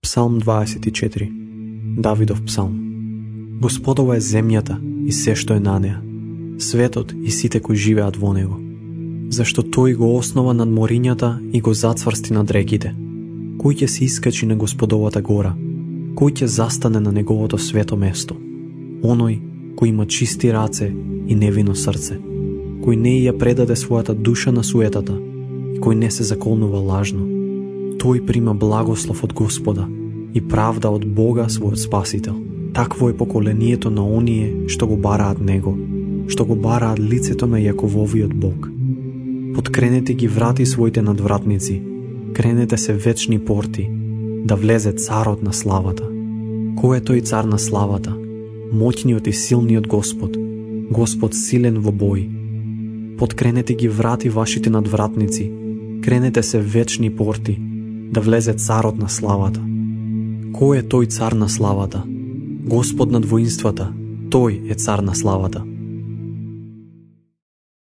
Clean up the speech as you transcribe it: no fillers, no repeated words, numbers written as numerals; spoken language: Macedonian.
Псалм 24. Давидов псалм. Господова е земјата и се што е на неа, светот и сите кои живеат во него. Зашто тој го основа над морињата и го зацврсти над реките. Кој ќе се искачи на Господовата гора? Кој ќе застане на неговото свето место? Оној кој има чисти раце и невино срце, кој не ја предаде својата душа на суетата и кој не се заколнува лажно. Тој прима благослов од Господа и правда од Бога својот Спасител. Такво е поколението на оние што го бараат Него, што го бараат лицето на Јакововиот Бог. Подкренете ги врати своите надвратници, кренете се вечни порти, да влезе царот на славата. Кој е тој цар на славата? Моќниот и силниот Господ, Господ силен во бој. Подкренете ги врати вашите надвратници, кренете се вечни порти, да влезе царот на славата. Кој е тој цар на славата? Господ над воинствата, тој е цар на славата.